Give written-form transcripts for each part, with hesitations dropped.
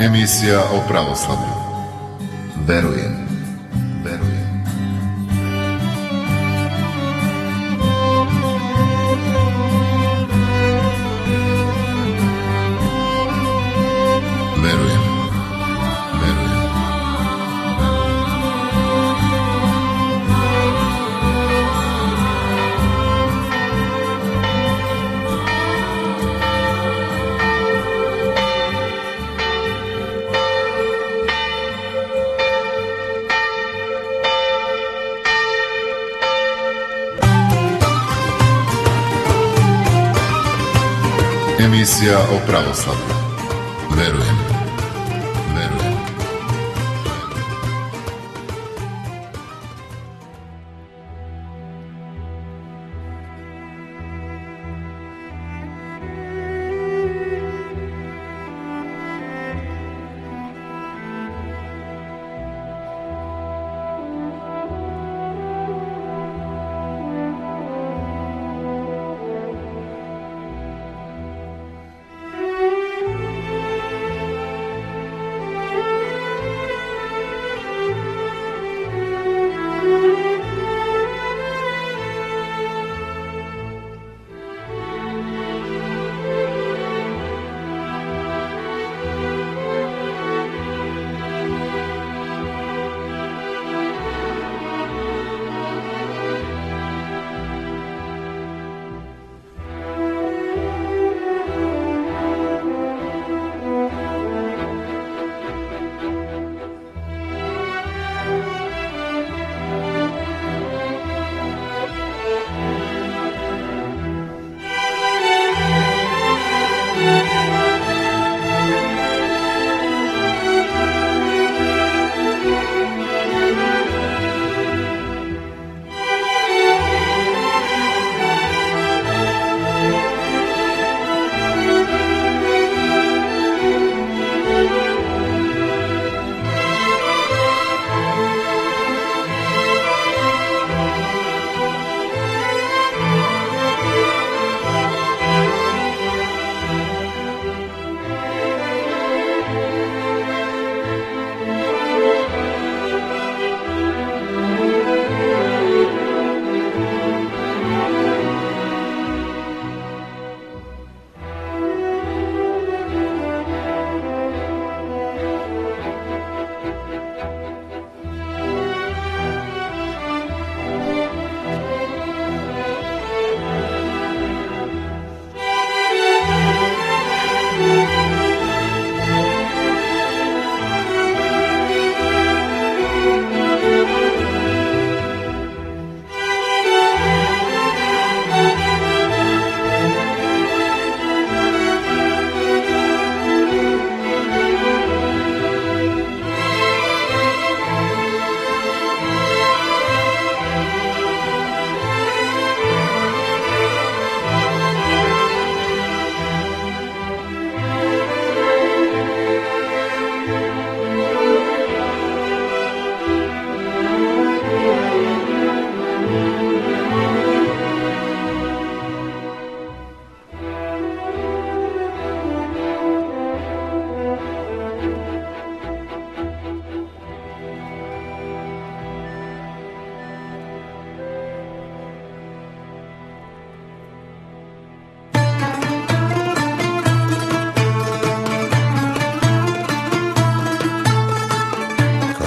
Emisija o pravoslavlju. Verujem. Emisija o pravoslavlju. Verujem.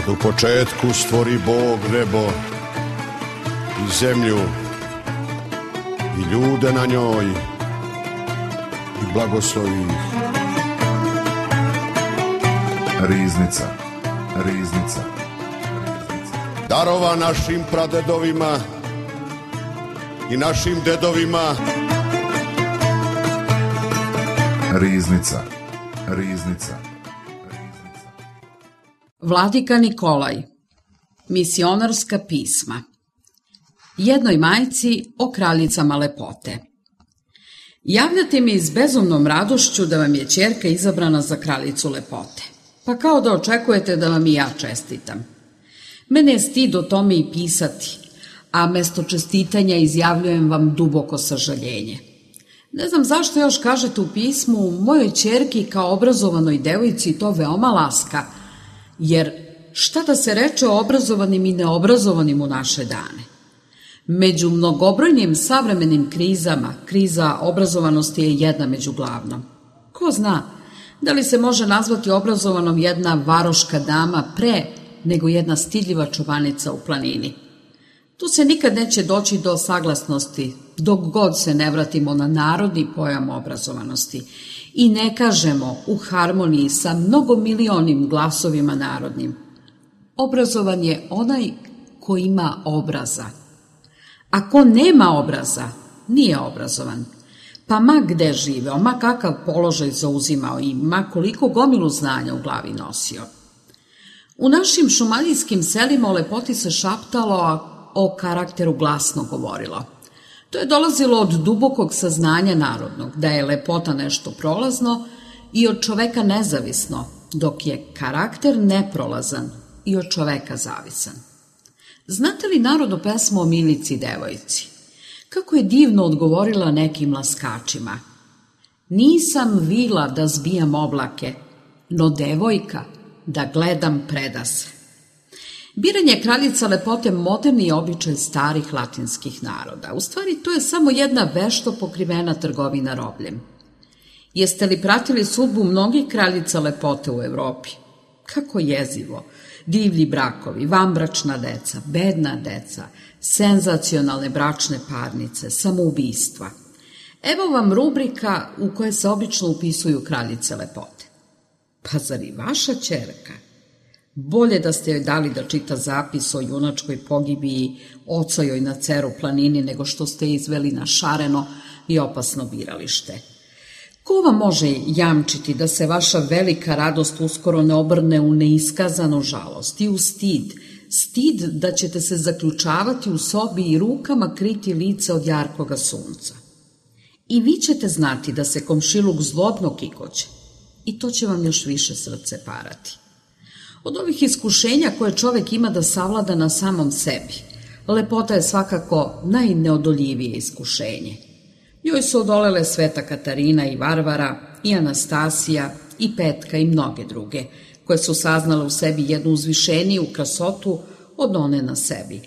U početku stvori Bog nebo i zemlju i ljude na njoj i blagoslovi ih. Riznica. Darova našim pradedovima i našim dedovima. Riznica. Vladika Nikolaj. Misionarska pisma. Jednoj majci o kraljicama lepote. Javljate mi s bezumnom radošću da vam je ćerka izabrana za kraljicu lepote. Pa kao da očekujete da vam i ja čestitam. Mene je stid o tome i pisati, a mesto čestitanja izjavljujem vam duboko sažaljenje. Ne znam zašto još kažete u pismu mojoj ćerki kao obrazovanoj devojci to veoma laska, jer šta da se reče o obrazovanim i neobrazovanim u naše dane? Među mnogobrojnim savremenim krizama, kriza obrazovanosti je jedna među glavnom. Ko zna, da li se može nazvati obrazovanom jedna varoška dama pre nego jedna stidljiva čobanica u planini? Tu se nikad neće doći do saglasnosti, dok god se ne vratimo na narodni pojam obrazovanosti i ne kažemo u harmoniji sa mnogomilionim glasovima narodnim. Obrazovan je onaj ko ima obraza. A ko nema obraza, nije obrazovan. Pa ma gde živeo, ma kakav položaj zauzimao i ma koliko gomilu znanja u glavi nosio. U našim šumadijskim selima o lepoti se šaptalo, a o karakteru glasno govorilo. To je dolazilo od dubokog saznanja narodnog, da je lepota nešto prolazno i od čoveka nezavisno, dok je karakter neprolazan i od čoveka zavisan. Znate li narodnu pesmu o Milici devojci? Kako je divno odgovorila nekim laskačima. Nisam vila da zbijam oblake, no devojka da gledam predase. Biranje kraljica lepote moderni je običaj starih latinskih naroda. U stvari, to je samo jedna vešto pokrivena trgovina robljem. Jeste li pratili sudbu mnogih kraljica lepote u Evropi? Kako jezivo! Divlji brakovi, vanbračna deca, bedna deca, senzacionalne bračne parnice, samoubistva. Evo vam rubrika u kojoj se obično upisuju kraljice lepote. Pa zar i vaša ćerka? Bolje da ste joj dali da čita zapis o junačkoj pogibiji oca joj na Ceru planini nego što ste je izveli na šareno i opasno biralište. Ko vam može jamčiti da se vaša velika radost uskoro ne obrne u neiskazanu žalost i u stid, stid da ćete se zaključavati u sobi i rukama kriti lice od jarkoga sunca. I vi ćete znati da se komšiluk zlobno kikoće i to će vam još više srce parati. Od ovih iskušenja koje čovek ima da savlada na samom sebi, lepota je svakako najneodoljivije iskušenje. Njoj su odolele Sveta Katarina i Varvara, i Anastasija, i Petka i mnoge druge, koje su saznale u sebi jednu uzvišeniju krasotu od one na sebi.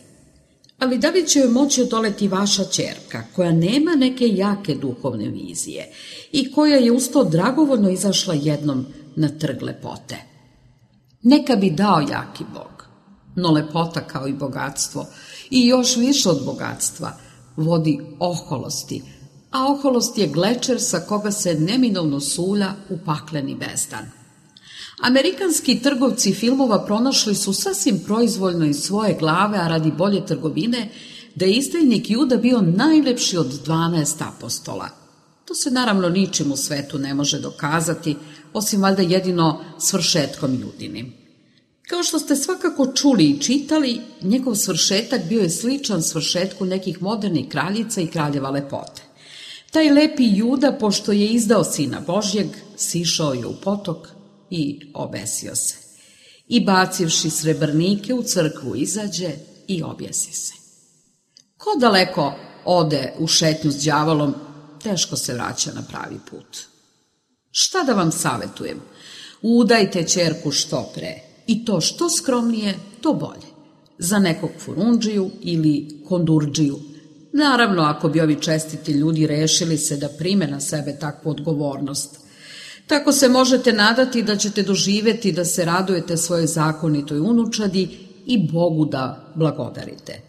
Ali da li će joj moći odoleti vaša ćerka, koja nema neke jake duhovne vizije i koja je uz to dragovoljno izašla jednom na trg lepote? Neka bi dao jaki Bog, no lepota kao i bogatstvo, i još više od bogatstva, vodi oholosti, a oholost je glečer sa koga se neminovno sulja u pakleni bezdan. Amerikanski trgovci filmova pronašli su sasvim proizvoljno iz svoje glave, a radi bolje trgovine, da je izdajnik Juda bio najlepši od 12 apostola. To se naravno ničim u svetu ne može dokazati, osim valjda jedino svršetkom Judinim. Kao što ste svakako čuli i čitali, njegov svršetak bio je sličan svršetku nekih modernih kraljica i kraljeva lepote. Taj lepi Juda, pošto je izdao Sina Božjeg, sišao je u potok i obesio se. I bacivši srebrnike u crkvu izađe i objesi se. Ko daleko ode u šetnju s đavolom, teško se vraća na pravi put. Šta da vam savetujem? Udajte ćerku što pre, i to što skromnije, to bolje. Za nekog furundžiju ili kondurdžiju. Naravno, ako bi ovi čestiti ljudi rešili se da prime na sebe takvu odgovornost. Tako se možete nadati da ćete doživeti da se radujete svojoj zakonitoj unučadi i Bogu da blagodarite.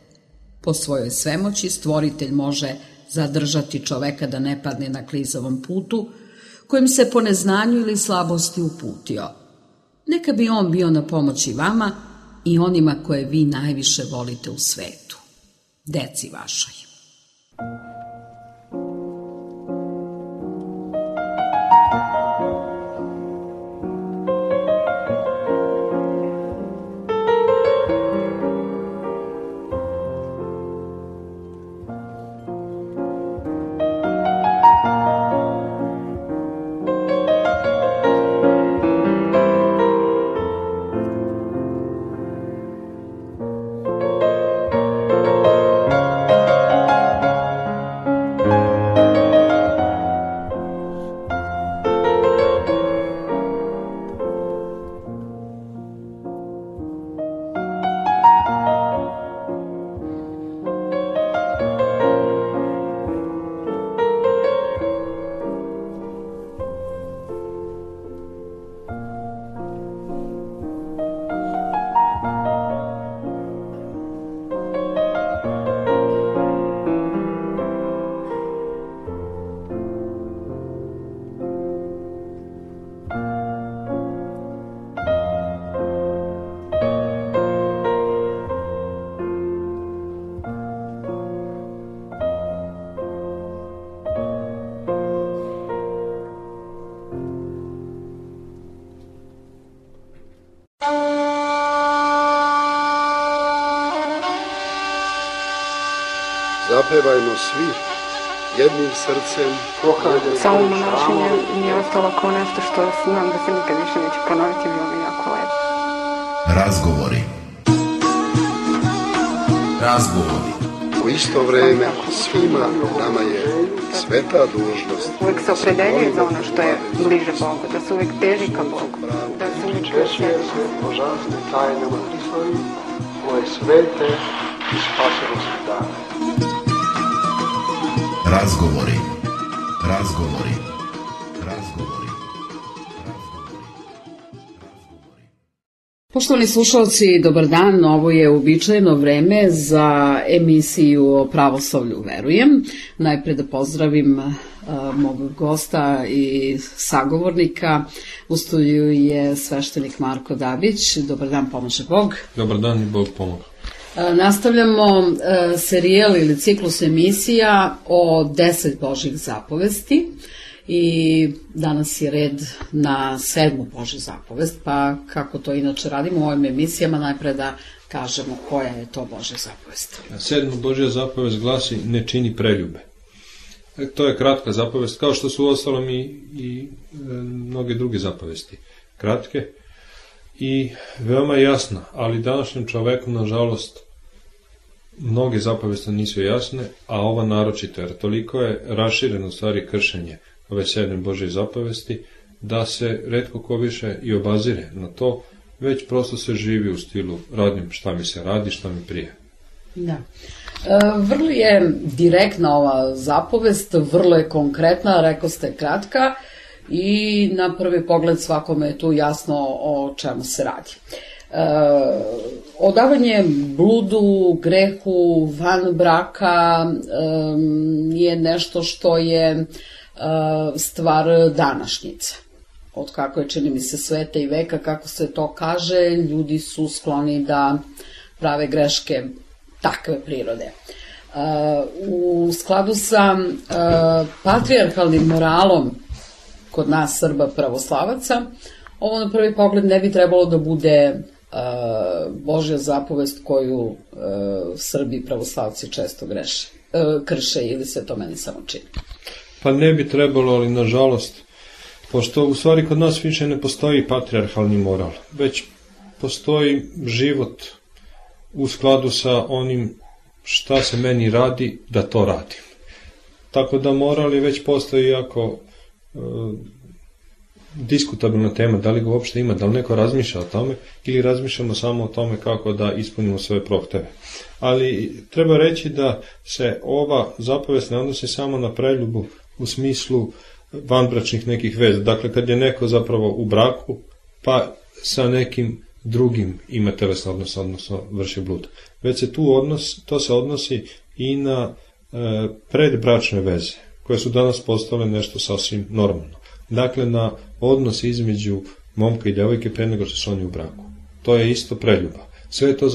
Po svojoj svemoći stvoritelj može zadržati čoveka da ne padne na klizavom putu, kojim se po neznanju ili slabosti uputio. Neka bi on bio na pomoći vama i onima koje vi najviše volite u svetu, deci vašoj. Zapevajmo svi jednim srcem. Samo monašenje mi je ostalo kao nešto što znam da se nikad više neće ponoviti, bilo mi jako lepo. Razgovori. Razgovori. U isto vreme svima nama je sveta dužnost. Uvijek se opredeljuje za ono što je bliže Bogu, da se uvijek teži ka Bogu, da se uvijek Češće se božanstvim tajnama Hristovi, ove svete i spasonosne dane. Razgovori. Razgovori. Razgovori. Poštovani slušalci, dobar dan. Ovo je uobičajeno vreme za emisiju o pravoslavlju verujem. Najpre da pozdravim mog gosta i sagovornika. U studiju je sveštenik Marko Dabić. Dobar dan, pomaže Bog. Dobar dan i Bog pomoga. Nastavljamo serijal ili ciklus emisija o 10 Božjih zapovesti. I danas je red na 7. Božju zapovest, pa kako to inače radimo u ovim emisijama, najpre da kažemo koja je to Božja zapovest. 7. Božja zapovest glasi ne čini preljube. To je kratka zapovest, kao što su uostalom i mnoge druge zapovesti. Kratke i veoma jasna, ali današnjem čoveku, nažalost, mnoge zapovesti nisu jasne, a ova naročito, jer toliko je rašireno u stvari kršenje ove 7. Božje zapovesti, da se retko ko više i obazire na to, već prosto se živi u stilu radim šta mi se radi, šta mi prije. Da. Vrlo je direktna ova zapovest, vrlo je konkretna, rekao ste kratka i na prvi pogled svakome je tu jasno o čemu se radi. Odavanje bludu, grehu, van braka je nešto što je stvar današnjice. Od kako je, čini mi se, sveta i veka, kako se to kaže, ljudi su skloni da prave greške takve prirode. U skladu sa patrijarhalnim moralom kod nas Srba pravoslavaca, ovo na prvi pogled ne bi trebalo da bude Božja zapovest koju Srbi pravoslavci često krše, ili se to meni samo čini. Pa ne bi trebalo, ali nažalost, pošto u stvari kod nas više ne postoji patrijarhalni moral, već postoji život u skladu sa onim šta se meni radi, da to radim. Tako da moral je već postoji jako diskutabilna tema, da li ga uopšte ima, da li neko razmišlja o tome ili razmišljamo samo o tome kako da ispunimo svoje prohteve. Ali treba reći da se ova zapovest ne odnosi samo na preljubu u smislu vanbračnih nekih veza. Dakle, kad je neko zapravo u braku, pa sa nekim drugim ima telesni odnos, odnosno vrši blud. Već se to se odnosi i na predbračne veze, koje su danas postale nešto sasvim normalno. Dakle, na odnos između momka i devojke pre nego što su oni u braku. To je isto preljuba. Sve je to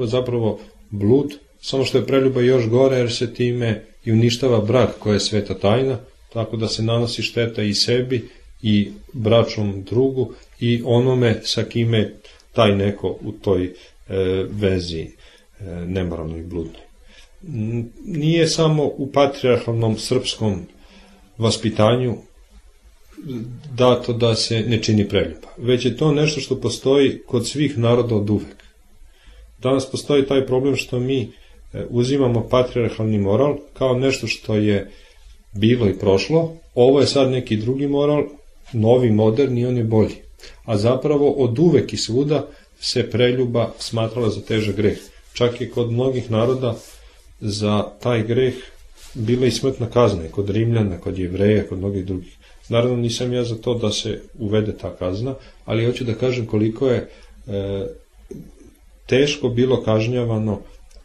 zapravo blud, samo što je preljuba još gore jer se time i uništava brak koja je sveta tajna, tako da se nanosi šteta i sebi i bračnom drugu i onome sa kime taj neko u toj vezi nemoralnoj i bludnoj. Nije samo u patrijarhalnom srpskom vaspitanju dato da se ne čini preljuba, već je to nešto što postoji kod svih naroda od uvek. Danas postoji taj problem što mi uzimamo patrijarhalni moral kao nešto što je bilo i prošlo, ovo je sad neki drugi moral, novi, moderni, on je bolji. A zapravo od uvek i svuda se preljuba smatrala za težak greh. Čak je kod mnogih naroda za taj greh bila i smrtna kazna, kod Rimljana, kod Jevreja, kod mnogih drugih. Naravno nisam ja za to da se uvede ta kazna, ali hoću da kažem koliko je teško bilo kažnjavano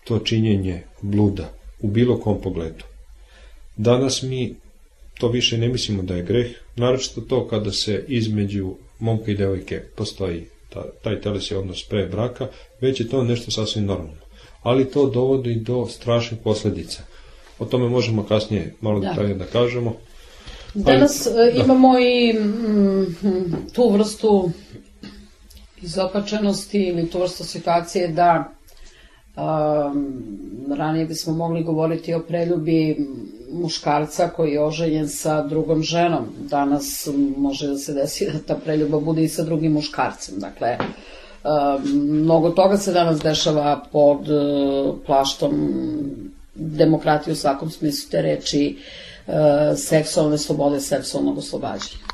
to činjenje bluda u bilo kom pogledu. Danas mi to više ne mislimo da je greh, naročito to kada se između momka i devojke postoji taj telesni odnos pre braka, već je to nešto sasvim normalno. Ali to dovodi do strašnih posledica. O tome možemo kasnije malo detaljnije da kažemo. Danas imamo i tu vrstu izopačenosti ili tu vrstu situacije da Ranije bismo mogli govoriti o preljubi muškarca koji je oženjen sa drugom ženom. Danas može da se desi da ta preljuba bude i sa drugim muškarcem. Dakle, mnogo toga se danas dešava pod plaštom demokratije u svakom smislu te reči, seksualne slobode, seksualnog oslobađanja.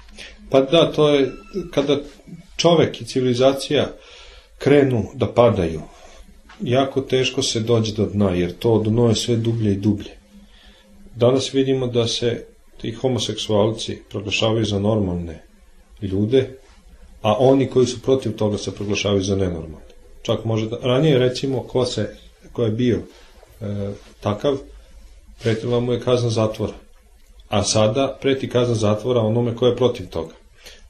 Pa da, to je kada čovek i civilizacija krenu da padaju, jako teško se dođe do dna, jer to dno je sve dublje i dublje. Danas vidimo da se ti homoseksualci proglašavaju za normalne ljude, a oni koji su protiv toga se proglašavaju za nenormalne. Čak može da... Ranije, recimo, ko je bio takav, pretila mu je kazna zatvora. A sada preti kazna zatvora onome ko je protiv toga.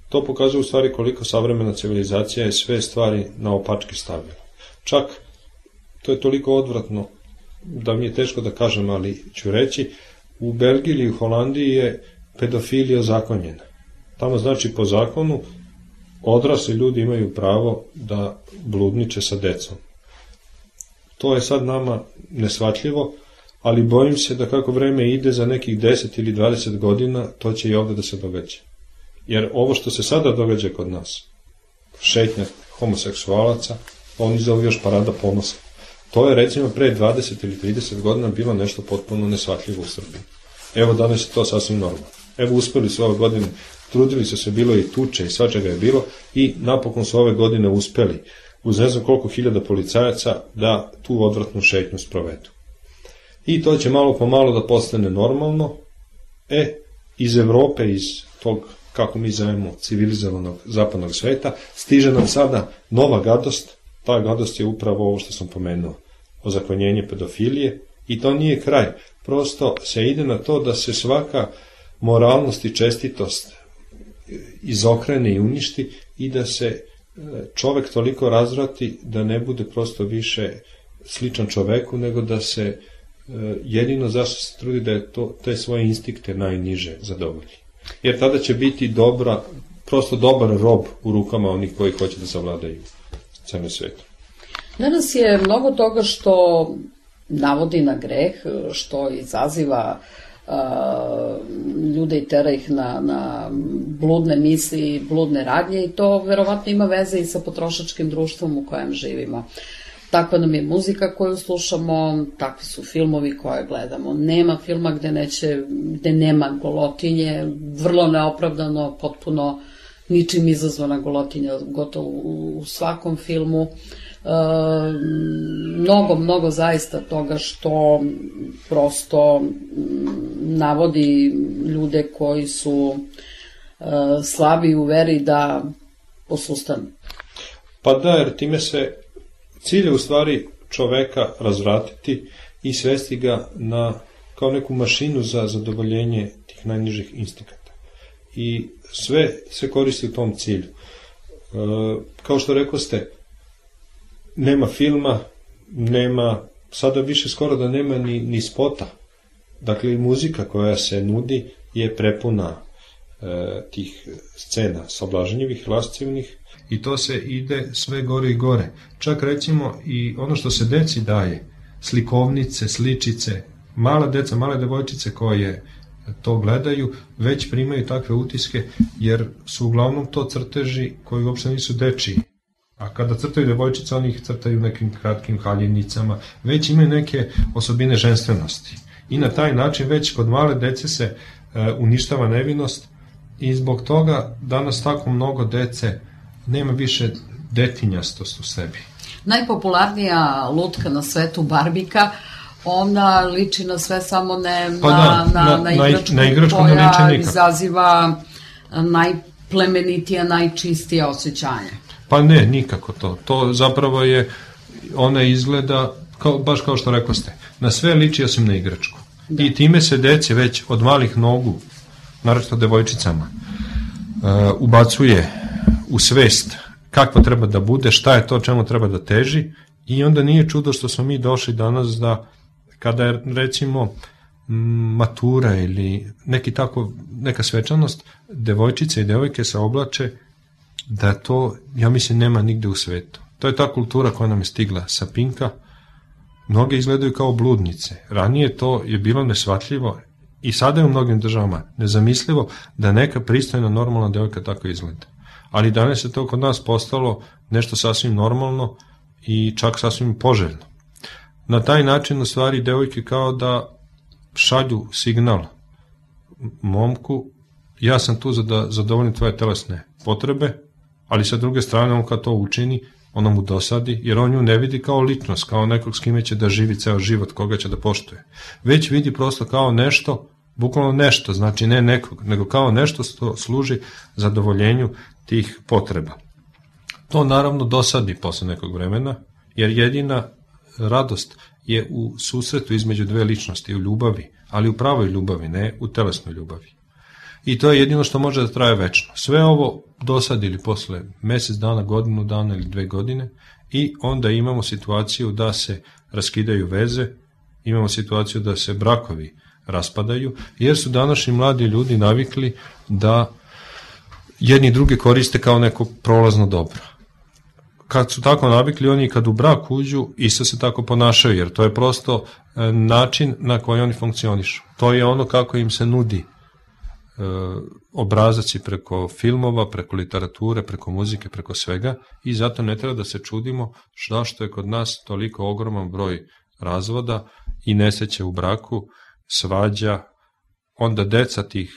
To pokazuje u stvari koliko savremena civilizacija je sve stvari na opačke stavila. Čak, to je toliko odvratno da mi je teško da kažem, ali ću reći, u Belgiji ili u Holandiji je pedofilija ozakonjena. Tamo znači po zakonu odrasli ljudi imaju pravo da bludniče sa decom. To je sad nama neshvatljivo, ali bojim se da kako vreme ide za nekih 10 ili 20 godina, to će i ovde da se događa. Jer ovo što se sada događa kod nas, šetnja homoseksualaca, oni zovu još parada ponosa. To je recimo pre 20 ili 30 godina bilo nešto potpuno neshvatljivo u Srbiji. Evo danas je to sasvim normalno. Evo uspeli su ove godine, trudili su se, bilo i tuče i svačega je bilo i napokon su ove godine uspeli uz ne znam koliko hiljada policajaca da tu odvratnu šetnju sprovedu. I to će malo po malo da postane normalno. Iz Evrope, iz tog, kako mi zovemo, civilizovanog zapadnog sveta, stiže nam sada nova gadost. Ta gadost je upravo ovo što sam pomenuo, ozakonjenje pedofilije, i to nije kraj. Prosto se ide na to da se svaka moralnost i čestitost izokrene i uništi i da se čovek toliko razvrati da ne bude prosto više sličan čoveku, nego da se jedino zašto se trudi da je te svoje instinkte najniže zadovolji. Jer tada će biti prosto dobar rob u rukama onih koji hoće da zavladaju celom svetu. Danas je mnogo toga što navodi na greh, što izaziva ljude i tera ih na bludne misli, bludne radnje, i to verovatno ima veze i sa potrošačkim društvom u kojem živimo. Takva nam je muzika koju slušamo, takvi su filmovi koje gledamo. Nema filma gde nema golotinje, vrlo neopravdano, potpuno ničim izazvana golotinja, gotovo u svakom filmu. Mnogo zaista toga što prosto navodi ljude koji su slabi u veri da posustanu. Pa da, jer time se cilj je u stvari čoveka razvratiti i svesti ga kao neku mašinu za zadovoljenje tih najnižih instinkata. I sve koristi u tom cilju. Kao što rekao ste, nema filma, sada više skoro da nema ni spota. Dakle, i muzika koja se nudi je prepuna tih scena sablažnjivih, lascivnih, i to se ide sve gore i gore. Čak recimo i ono što se deci daje, slikovnice, sličice, mala deca, male devojčice koje to gledaju, već primaju takve utiske, jer su uglavnom to crteži koji uopšte nisu dečiji. A kada crtaju devojčice, oni ih crtaju nekim kratkim haljenicama, već imaju neke osobine ženstvenosti. I na taj način već kod male dece se uništava nevinost, i zbog toga danas tako mnogo dece nema više detinjastost u sebi. Najpopularnija lutka na svetu, Barbika, ona liči na sve, samo ne na igračku koja izaziva najplemenitija, najčistija osjećanja. Pa ne, nikako to. To zapravo je, ona izgleda, baš kao što rekao ste, na sve liči osim na igračku. Da. I time se deci već od malih nogu, naročito devojčicama, ubacuje u svest kakva treba da bude, šta je to čemu treba da teži, i onda nije čudo što smo mi došli danas da kada je recimo matura ili neka svečanost, devojčice i devojke se oblače da to, ja mislim, nema nigde u svetu. To je ta kultura koja nam je stigla sa Pinka, mnoge izgledaju kao bludnice. Ranije to je bilo neshvatljivo i sada je u mnogim državama nezamislivo da neka pristojna normalna devojka tako izgleda. Ali danas je to kod nas postalo nešto sasvim normalno i čak sasvim poželjno. Na taj način u stvari devojke kao da šalju signal momku, ja sam tu da zadovoljim tvoje telesne potrebe, ali sa druge strane on kad to učini, ona mu dosadi, jer on nju ne vidi kao ličnost, kao nekog s kime će da živi ceo život, koga će da poštuje. Već vidi prosto kao nešto, bukvalno nešto, znači ne nekog, nego kao nešto što služi zadovoljenju tih potreba. To naravno dosadi posle nekog vremena, jer jedina radost je u susretu između dve ličnosti, u ljubavi, ali u pravoj ljubavi, ne u telesnoj ljubavi. I to je jedino što može da traje večno. Sve ovo dosadili posle mesec dana, godinu dana ili 2 godine i onda imamo situaciju da se raskidaju veze, imamo situaciju da se brakovi raspadaju, jer su današnji mladi ljudi navikli da jedni druge koriste kao neko prolazno dobro. Kad su tako navikli, oni kad u brak uđu, isto se tako ponašaju, jer to je prosto način na koji oni funkcionišu. To je ono kako im se nudi obrazac i preko filmova, preko literature, preko muzike, preko svega i zato ne treba da se čudimo zašto je kod nas toliko ogroman broj razvoda i nesreće u braku, svađa, onda deca tih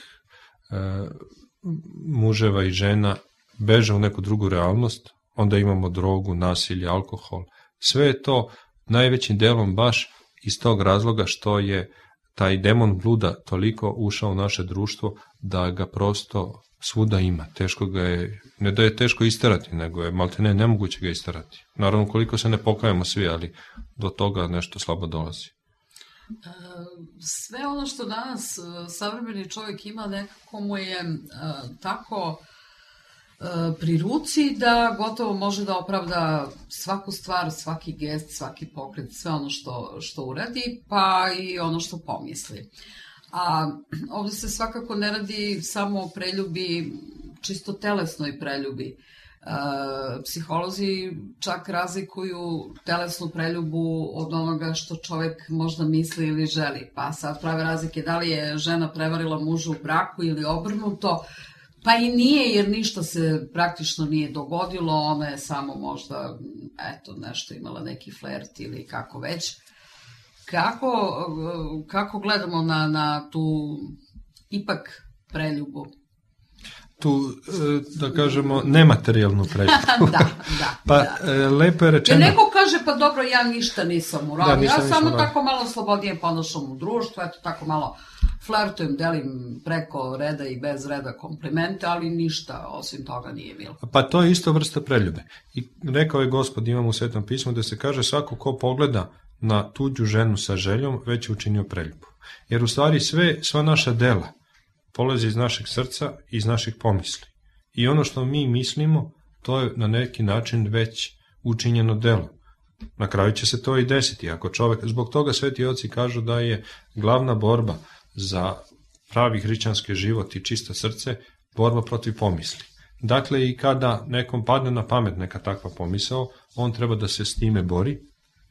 muževa i žena beže u neku drugu realnost, onda imamo drogu, nasilje, alkohol. Sve je to najvećim delom baš iz tog razloga što je taj demon bluda toliko ušao u naše društvo da ga prosto svuda ima. Teško ga je, ne da je teško isterati, nego je maltene nemoguće ga isterati. Naravno koliko se ne pokajemo svi, ali do toga nešto slabo dolazi. Sve ono što danas savremeni čovjek ima nekako mu je tako pri ruci da gotovo može da opravda svaku stvar, svaki gest, svaki pokret, sve ono što uradi, pa i ono što pomisli. A ovdje se svakako ne radi samo o preljubi, čisto telesnoj preljubi. Psiholozi čak razlikuju telesnu preljubu od onoga što čovjek možda misli ili želi. Pa sad prave razlike da li je žena prevarila muža u braku ili obrnuto. Pa i nije, jer ništa se praktično nije dogodilo, ona je samo možda, nešto imala neki flert ili kako već. Kako gledamo na tu ipak preljubu? Tu, da kažemo, nematerijalnu preljubu. Da. Pa, lepo je rečeno. Jer neko kaže, pa dobro, ja ništa nisam uradio, ja samo tako malo slobodnije ponašam u društvu, tako malo flertujem, delim preko reda i bez reda komplimente, ali ništa osim toga nije bilo. Pa to je isto vrsta preljube. I rekao je Gospod, imamo u Svetom pismu, da se kaže svako ko pogleda na tuđu ženu sa željom, već je učinio preljubu. Jer u stvari sva naša dela polazi iz našeg srca, iz naših pomisli. I ono što mi mislimo, to je na neki način već učinjeno delo. Na kraju će se to i desiti. Ako čovek, zbog toga sveti oci kažu da je glavna borba za pravi hrišćanski život i čisto srce borba protiv pomisli. Dakle, i kada nekom padne na pamet neka takva pomisao, on treba da se s time bori,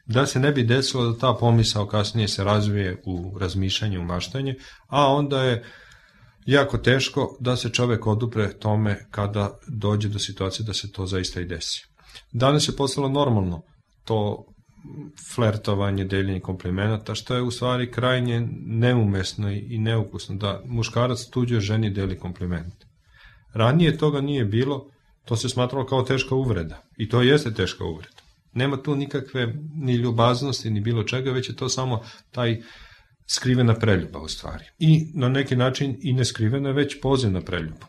da se ne bi desilo da ta pomisao kasnije se razvije u razmišljanje, u maštanje, a onda je jako teško da se čovek odupre tome kada dođe do situacije da se to zaista i desi. Danas je postalo normalno to flertovanje, deljenje komplimenata, što je u stvari krajnje neumesno i neukusno, da muškarac tuđoj ženi deli kompliment. Ranije toga nije bilo, to se smatralo kao teška uvreda. I to jeste teška uvreda. Nema tu nikakve ni ljubaznosti, ni bilo čega, već je to samo taj skrivena preljuba u stvari. I na neki način i neskrivena, već pozivna preljuba.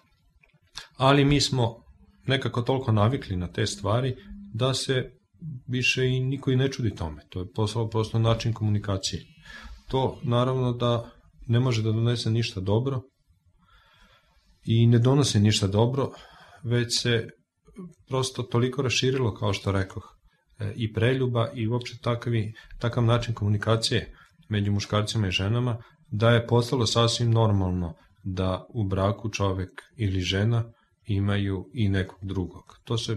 Ali mi smo nekako toliko navikli na te stvari da se više i niko i ne čudi tome. To je postalo prosto način komunikacije. To naravno da ne može da donese ništa dobro i ne donosi ništa dobro, već se prosto toliko raširilo, kao što rekoh, i preljuba i uopšte takav način komunikacije među muškarcima i ženama, da je postalo sasvim normalno da u braku čovek ili žena imaju i nekog drugog. To se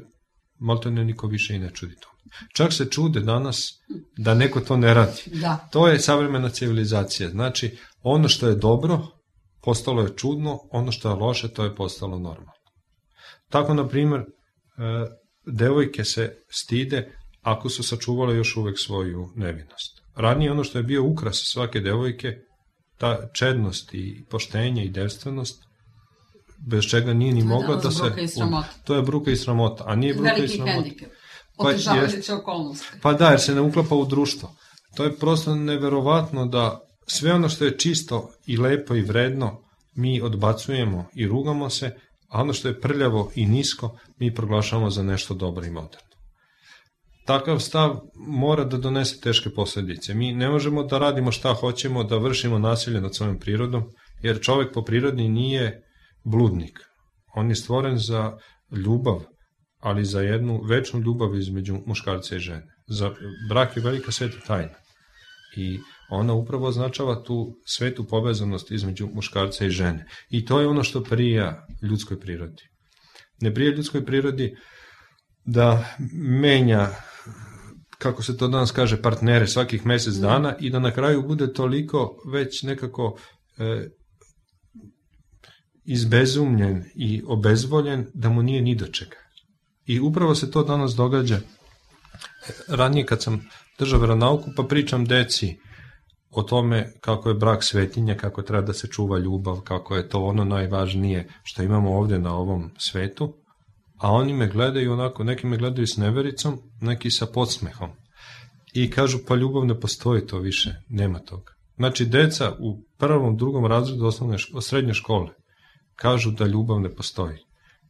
maltene niko više i ne čudi to. Čak se čude danas da neko to ne radi. Da. To je savremena civilizacija. Znači, ono što je dobro postalo je čudno, ono što je loše to je postalo normalno. Tako, na primjer, devojke se stide ako su sačuvale još uvek svoju nevinost. Ranije ono što je bio ukras svake devojke, ta čednost i poštenje i devstvenost, bez čega nije ni mogla da se... To je bruka i sramota. A nije bruka i sramota. Veliki hendikep. Otežavajuće okolnosti. Pa da, jer se ne uklapa u društvo. To je prosto neverovatno da sve ono što je čisto i lepo i vredno mi odbacujemo i rugamo se, a ono što je prljavo i nisko mi proglašavamo za nešto dobro i moderno. Takav stav mora da donese teške posljedice. Mi ne možemo da radimo šta hoćemo, da vršimo nasilje nad svojom prirodom, jer čovek po prirodi nije bludnik. On je stvoren za ljubav, ali za jednu večnu ljubav između muškarca i žene. Za brak je velika sveta tajna. I ona upravo označava tu svetu povezanost između muškarca i žene. I to je ono što prija ljudskoj prirodi. Ne prija ljudskoj prirodi da menja, kako se to danas kaže, partnere svakih mjesec dana i da na kraju bude toliko već nekako izbezumljen i obezvoljen da mu nije ni do čega. I upravo se to danas događa. Ranije kad sam držao veronauku pa pričam deci o tome kako je brak svetinja, kako treba da se čuva ljubav, kako je to ono najvažnije što imamo ovdje na ovom svetu, a oni me gledaju onako, neki me gledaju s nevericom, neki sa podsmehom. I kažu, pa ljubav ne postoji, to više, nema toga. Znači, deca u prvom, drugom razredu srednje škole kažu da ljubav ne postoji.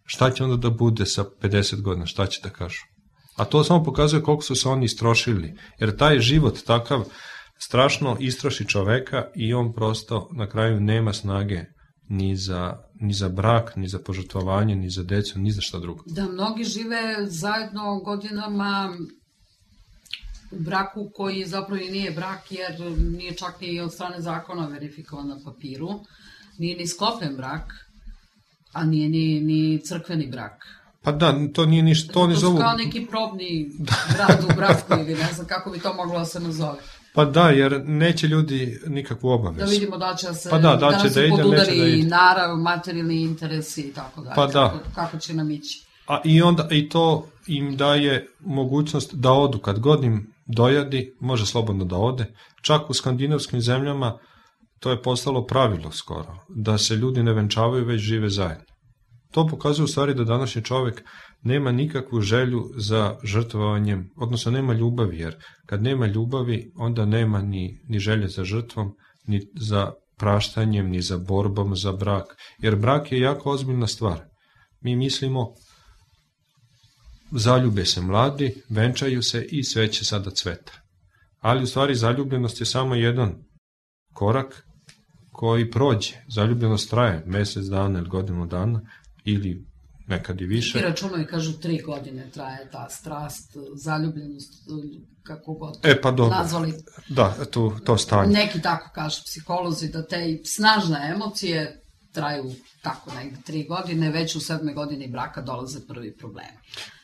Šta će onda da bude sa 50 godina, šta će da kažu? A to samo pokazuje koliko su se oni istrošili, jer taj život takav strašno istroši čoveka i on prosto na kraju nema snage ni za brak, ni za požrtvovanje, ni za decu, ni za šta drugo. Da, mnogi žive zajedno godinama u braku koji zapravo i nije brak, jer nije čak ni od strane zakona verifikovan na papiru, nije ni sklopljen brak, a nije ni crkveni brak. Pa da, to nije ništa, to ne zovu... To kao neki probni brat u bratku ili ne znam kako bi to moglo da se nazove. Pa da, jer neće ljudi nikakvu obavezu. Da vidimo da će se, pa da će da ide, podudari neće da ide. narav, materijalni interesi i tako dalje. Pa da. Kako će nam ići. A i to im daje mogućnost da odu, kad god im dojadi, može slobodno da ode. Čak u skandinavskim zemljama to je postalo pravilo skoro, da se ljudi ne venčavaju, već žive zajedno. To pokazuje u stvari da današnji čovjek nema nikakvu želju za žrtvovanjem, odnosno nema ljubavi, jer kad nema ljubavi, onda nema ni želje za žrtvom, ni za praštanjem, ni za borbom za brak, jer brak je jako ozbiljna stvar. Mi mislimo, zaljube se mladi, venčaju se i sve će sada cveta. Ali u stvari zaljubljenost je samo jedan korak koji prođe. Zaljubljenost traje mjesec dana ili godinu dana, ili nekad i više. I računaju, kažu 3 godine traje ta strast, zaljubljenost, kako god pa dobro. Nazvali. Da, to stanje. Neki tako kažu psiholozi, da te snažne emocije traju tako negde 3 godine, već u 7. godini braka dolaze prvi problemi.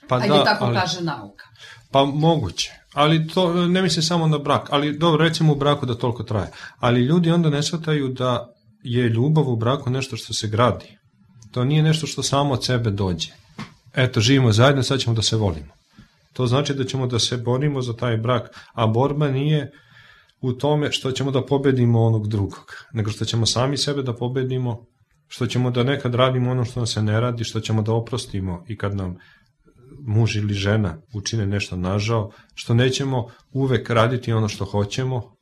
Pa ajde, tako kaže nauka. Pa moguće, ali to ne misli samo na brak, ali dobro, recimo u braku da toliko traje. Ali ljudi onda ne shvataju da je ljubav u braku nešto što se gradi. To nije nešto što samo od sebe dođe. Eto, živimo zajedno, sad ćemo da se volimo. To znači da ćemo da se borimo za taj brak, a borba nije u tome što ćemo da pobedimo onog drugog, nego što ćemo sami sebe da pobedimo, što ćemo da nekad radimo ono što nam se ne radi, što ćemo da oprostimo i kad nam muž ili žena učine nešto nažao, što nećemo uvek raditi ono što hoćemo,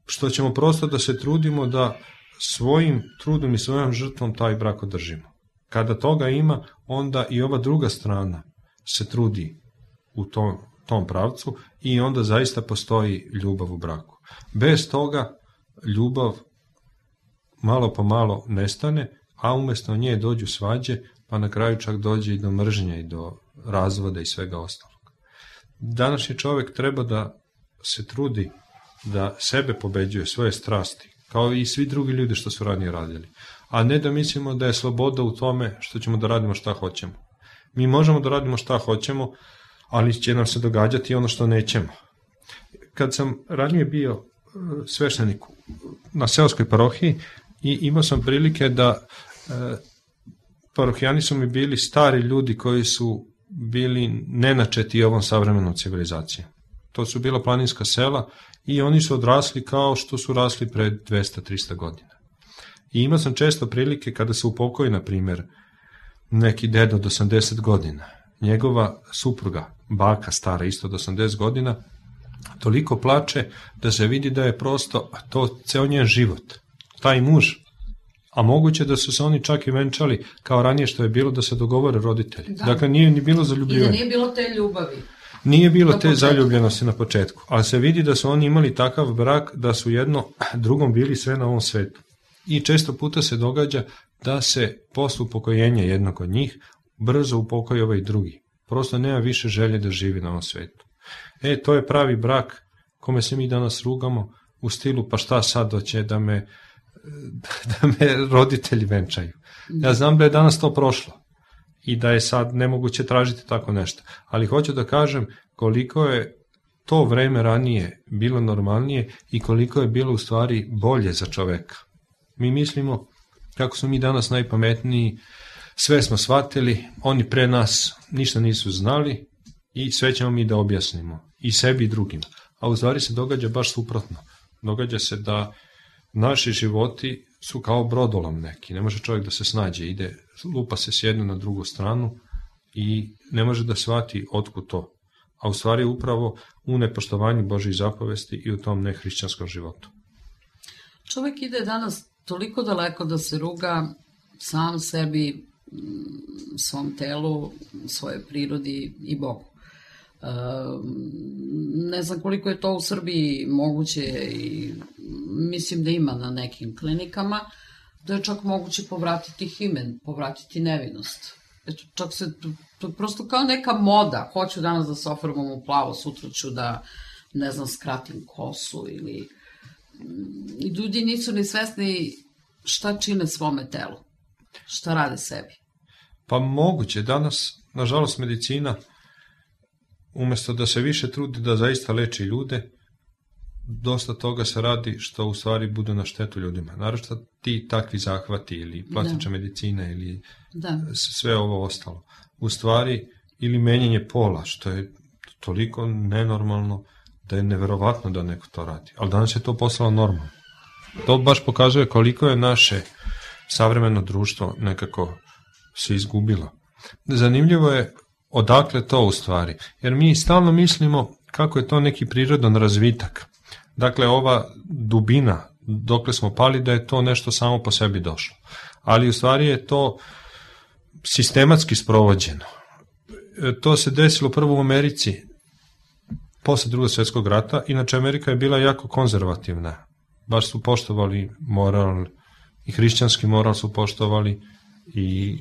što ćemo prosto da se trudimo da svojim trudom i svojom žrtvom taj brak održimo. Kada toga ima, onda i ova druga strana se trudi u tom pravcu i onda zaista postoji ljubav u braku. Bez toga ljubav malo po malo nestane, a umjesto nje dođu svađe, pa na kraju čak dođe i do mržnje i do razvoda i svega ostalog. Današnji čovjek treba da se trudi da sebe pobeđuje, svoje strasti, kao i svi drugi ljudi što su ranije radili. A ne da mislimo da je sloboda u tome što ćemo da radimo šta hoćemo. Mi možemo da radimo šta hoćemo, ali će nam se događati ono što nećemo. Kad sam ranije bio sveštenik na seoskoj parohiji i imao sam prilike da parohijani su mi bili stari ljudi koji su bili nenačeti ovom savremenom civilizacijom. To su bila planinska sela i oni su odrasli kao što su rasli pred 200-300 godina. I imao sam često prilike kada se upokoji, na primjer, neki deda od 80 godina, njegova supruga, baka stara isto od 80 godina, toliko plače da se vidi da je prosto to ceo njen život. Taj muž, a moguće da su se oni čak i venčali kao ranije što je bilo da se dogovore roditelji. Da. Dakle, nije ni bilo zaljubljivanje. I da nije bilo te ljubavi. Nije bilo te zaljubljenosti na početku, ali se vidi da su oni imali takav brak da su jedno drugom bili sve na ovom svetu. I često puta se događa da se posle upokojenja jednog od njih brzo upokoji ovaj drugi. Prosto nema više želje da živi na ovom svetu. To je pravi brak kome se mi danas rugamo u stilu pa šta sad doće da me roditelji venčaju. Ja znam da je danas to prošlo i da je sad nemoguće tražiti tako nešto. Ali hoću da kažem koliko je to vreme ranije bilo normalnije i koliko je bilo u stvari bolje za čoveka. Mi mislimo kako su mi danas najpametniji, sve smo shvatili, oni pre nas ništa nisu znali i sve ćemo mi da objasnimo i sebi i drugima. A u stvari se događa baš suprotno. Događa se da naši životi su kao brodolom neki, ne može čovjek da se snađe, ide, lupa se s jednu na drugu stranu i ne može da shvati otkud to. A u stvari upravo u nepoštovanju Božjih zapovesti i u tom nehrišćanskom životu. Čovjek ide danas toliko daleko da se ruga sam sebi, svom telu, svojoj prirodi i Bogu. Ne znam koliko je to u Srbiji moguće i mislim da ima na nekim klinikama, da je čak moguće povratiti himen, povratiti nevinost. Čak se, to je prosto kao neka moda, hoću danas da se ofarbam u plavo, sutra ću da, ne znam, skratim kosu ili... Ljudi nisu ni svesni šta čine svome telu, šta rade sebi. Pa moguće, danas, nažalost, medicina, umesto da se više trudi da zaista leči ljude, dosta toga se radi što u stvari bude na štetu ljudima. Naravno ti takvi zahvati ili plastična medicina ili sve ovo ostalo. U stvari, ili menjanje pola, što je toliko nenormalno da je neverovatno da neko to radi. Ali danas je to postalo normalno. To baš pokazuje koliko je naše savremeno društvo nekako se izgubilo. Zanimljivo je odakle to u stvari, jer mi stalno mislimo kako je to neki prirodan razvitak. Dakle, ova dubina, dokle smo pali, da je to nešto samo po sebi došlo. Ali u stvari je to sistematski sprovođeno. To se desilo prvo u Americi, posle Drugog svjetskog rata, inače Amerika je bila jako konzervativna. Baš su poštovali moral, i hrišćanski moral su poštovali, i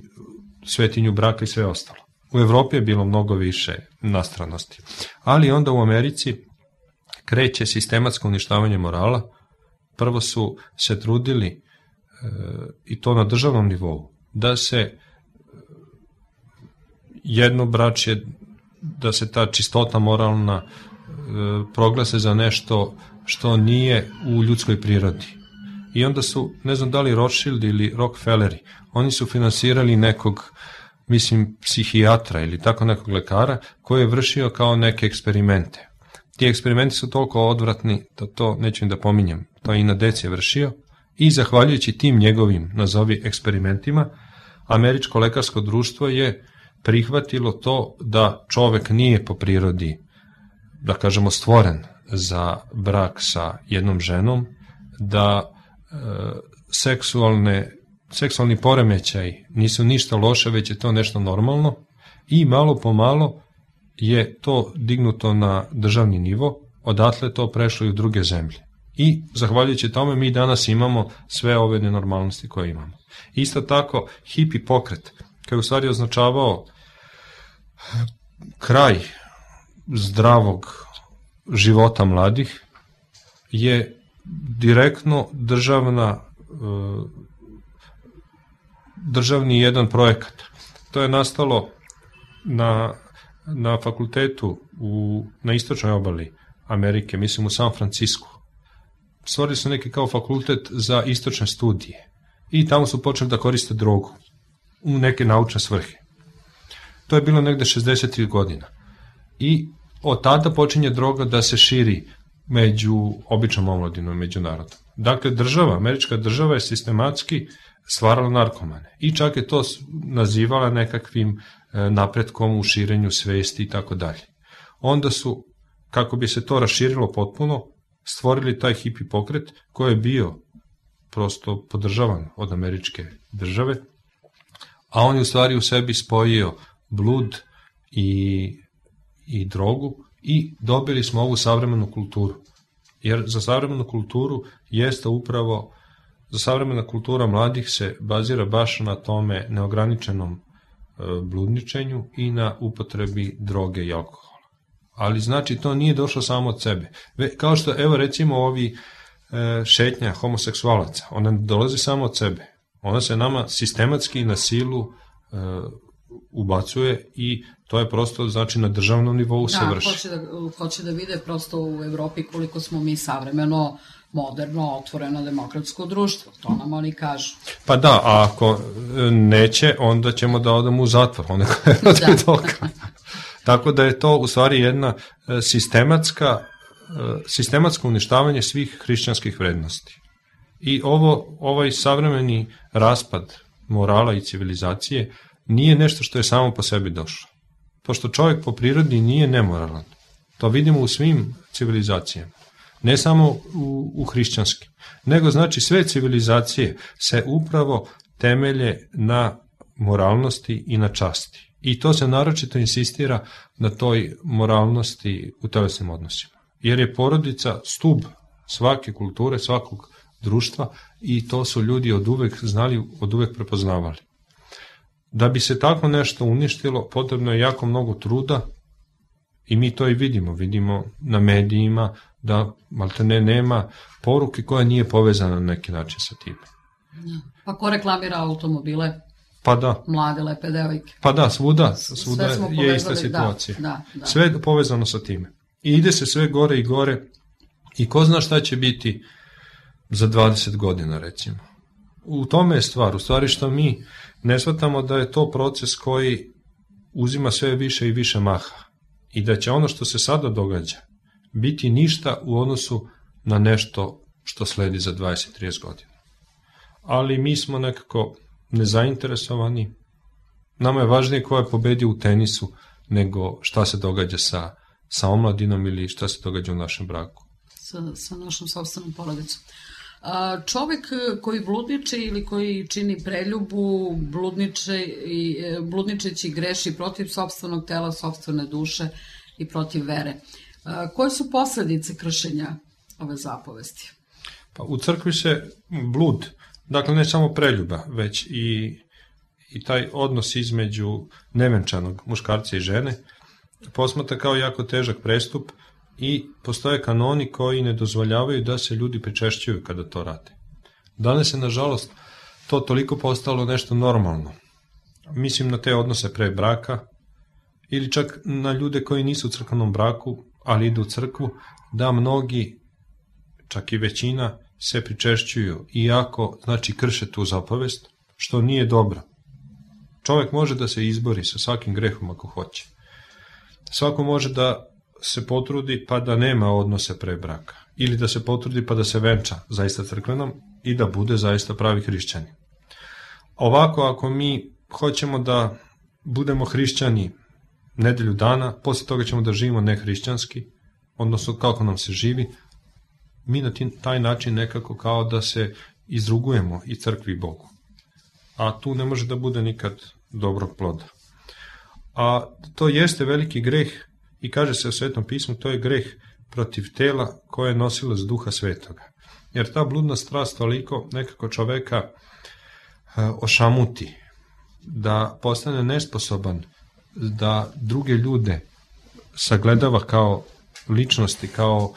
svetinju braka i sve ostalo. U Evropi je bilo mnogo više nastranosti. Ali onda u Americi kreće sistematsko uništavanje morala. Prvo su se trudili, i to na državnom nivou, da se jednobračje, da se ta čistota moralna proglase za nešto što nije u ljudskoj prirodi. I onda su, ne znam da li Rothschild ili Rockefelleri, oni su finansirali nekog, mislim, psihijatra ili tako nekog lekara koji je vršio kao neke eksperimente. Ti eksperimenti su toliko odvratni da to neću im da pominjem. To i na deci je vršio i zahvaljujući tim njegovim, nazovi, eksperimentima, Američko lekarsko društvo je prihvatilo to da čovek nije po prirodi, da kažemo, stvoren za brak sa jednom ženom, da seksualni poremećaj nisu ništa loše, već je to nešto normalno i malo po malo je to dignuto na državni nivo, odatle to prešlo i u druge zemlje. I zahvaljujući tome mi danas imamo sve ove nenormalnosti koje imamo. Isto tako, hipi pokret, koji je u stvari označavao kraj zdravog života mladih, je direktno državni jedan projekat. To je nastalo na fakultetu na istočnoj obali Amerike, mislim u San Francisku, stvorili su neki kao fakultet za istočne studije i tamo su počeli da koriste drogu u neke naučne svrhe. To je bilo negde 60. godina. I od tada počinje droga da se širi među običnom omladinom, među narodom. Dakle, američka država je sistematski stvarala narkomane i čak je to nazivala nekakvim napretkom u širenju svesti i tako dalje. Onda su, kako bi se to raširilo potpuno, stvorili taj hipi pokret koji je bio prosto podržavan od američke države, a on je u stvari u sebi spojio blud i drogu i dobili smo ovu savremenu kulturu. Jer za savremenu kulturu jeste upravo, za savremena kultura mladih se bazira baš na tome neograničenom bludničenju i na upotrebi droge i alkohola. Ali znači to nije došlo samo od sebe. Kao što, evo recimo ovi šetnja homoseksualaca, ona ne dolazi samo od sebe. Ona se nama sistematski na silu ubacuje i to je prosto, znači, na državnom nivou se vrši. Hoće da vide prosto u Evropi koliko smo mi savremeno, moderno, otvoreno demokratsko društvo. To nam oni kažu. Pa da, a ako neće, onda ćemo da odemo u zatvor. Onda je protiv toga. Tako da je to u stvari jedna sistematsko uništavanje svih hrišćanskih vrednosti. I ovaj savremeni raspad morala i civilizacije nije nešto što je samo po sebi došlo. Pošto čovjek po prirodi nije nemoralan. To vidimo u svim civilizacijama. Ne samo u hrišćanskim. Nego znači sve civilizacije se upravo temelje na moralnosti i na časti. I to se naročito insistira na toj moralnosti u telesnim odnosima. Jer je porodica stub svake kulture, svakog društva i to su ljudi od uvek znali, od uvek prepoznavali. Da bi se tako nešto uništilo, potrebno je jako mnogo truda i mi to i vidimo na medijima, da maltene nema poruke koja nije povezana na neki način sa tim. Pa ko reklamira automobile? Pa da. Mlade, lepe devojke. Pa da, svuda je ista situacija. Da. Sve je povezano sa time. I ide se sve gore i gore i ko zna šta će biti za 20 godina, recimo. U tome je stvar, u stvari što mi ne shvatamo da je to proces koji uzima sve više i više maha i da će ono što se sada događa biti ništa u odnosu na nešto što sledi za 20-30 godina. Ali mi smo nekako nezainteresovani. Nama je važnije ko je pobedio u tenisu nego šta se događa sa omladinom ili šta se događa u našem braku. Sa našom sopstvenom porodicom. Čovek koji bludniče ili koji čini preljubu, bludničeći greši protiv sopstvenog tela, sopstvene duše i protiv vere. Koje su posledice kršenja ove zapovesti? Pa u crkvi se blud, dakle ne samo preljuba, već i taj odnos između nevenčanog muškarca i žene posmatra kao jako težak prestup i postoje kanoni koji ne dozvoljavaju da se ljudi pričešćuju kada to rade. Danas je, nažalost, to toliko postalo nešto normalno. Mislim na te odnose pre braka ili čak na ljude koji nisu u crkvenom braku, ali idu u crkvu, da mnogi, čak i većina, se pričešćuju, iako, znači, krše tu zapovest, što nije dobro. Čovjek može da se izbori sa svakim grehom ako hoće. Svako može da se potrudi pa da nema odnose pre braka. Ili da se potrudi pa da se venča zaista crkvenom i da bude zaista pravi hrišćani. Ovako, ako mi hoćemo da budemo hrišćani nedelju dana, posle toga ćemo da živimo nehrišćanski, odnosno kako nam se živi, mi na taj način nekako kao da se izrugujemo i crkvi i Bogu. A tu ne može da bude nikad dobrog ploda. A to jeste veliki greh i kaže se u Svetom pismu, to je greh protiv tela koje je nosilac Duha Svetoga. Jer ta bludna strast toliko nekako čoveka ošamuti, da postane nesposoban da druge ljude sagledava kao ličnosti, kao